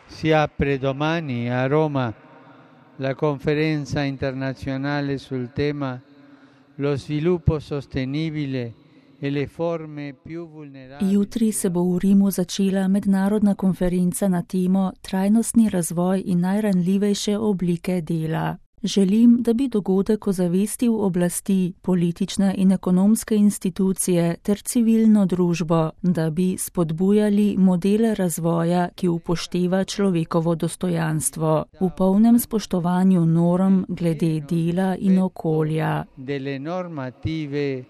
Si apre domani a Roma la conferenza internazionale sul tema lo sviluppo sostenibile e le forme più vulnerabili. Jutri se bo v Rimu začela mednarodna konferenca na temo trajnostni razvoj in najranljivejše oblike dela. Želim, da bi dogodek ozavestil oblasti, politične in ekonomske institucije ter civilno družbo, da bi spodbujali modele razvoja, ki upošteva človekovo dostojanstvo, v polnem spoštovanju norm glede dela in okolja. Delle normative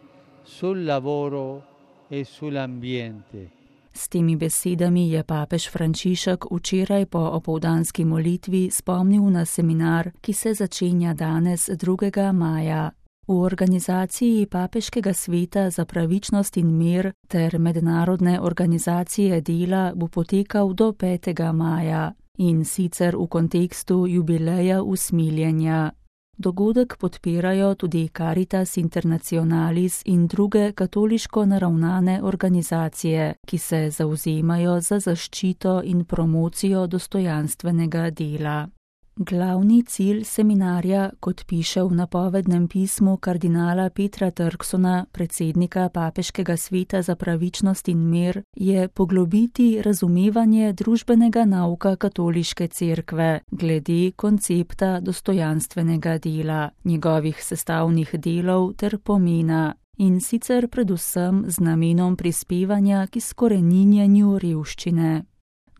sul lavoro e sull'ambiente. S temi besedami je papež Frančišek včeraj po opoldanski molitvi spomnil na seminar, ki se začenja danes 2. maja. V organizaciji Papeškega sveta za pravičnost in mir ter Mednarodne organizacije dela bo potekal do 5. maja in sicer v kontekstu jubileja usmiljenja. Dogodek podpirajo tudi Caritas Internationalis in druge katoliško naravnane organizacije, ki se zavzemajo za zaščito in promocijo dostojanstvenega dela. Glavni cilj seminarja, kot piše v napovednem pismu kardinala Petra Turksona, predsednika Papeškega sveta za pravičnost in mir, je poglobiti razumevanje družbenega nauka katoliške cerkve glede koncepta dostojanstvenega dela, njegovih sestavnih delov ter pomena, in sicer predvsem z namenom prispevanja k izkoreninjenju revščine.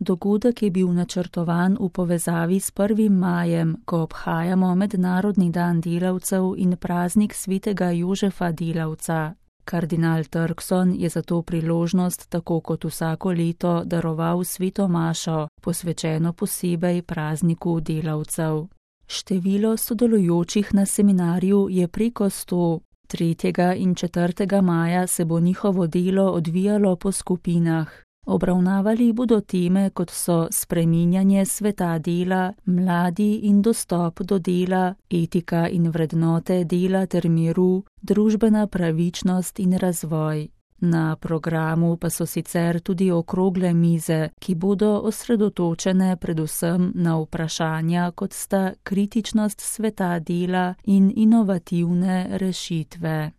Dogodek je bil načrtovan v povezavi s 1. majem, ko obhajamo Mednarodni dan delavcev in praznik svetega Jožefa delavca. Kardinal Turkson je za to priložnost, tako kot vsako leto, daroval sveto mašo, posvečeno posebej prazniku delavcev. Število sodelujočih na seminarju je preko 100. 3. in 4. maja se bo njihovo delo odvijalo po skupinah. Obravnavali bodo teme, kot so spreminjanje sveta dela, mladi in dostop do dela, etika in vrednote dela ter miru, družbena pravičnost in razvoj. Na programu pa so sicer tudi okrogle mize, ki bodo osredotočene predvsem na vprašanja, kot sta kritičnost sveta dela in inovativne rešitve.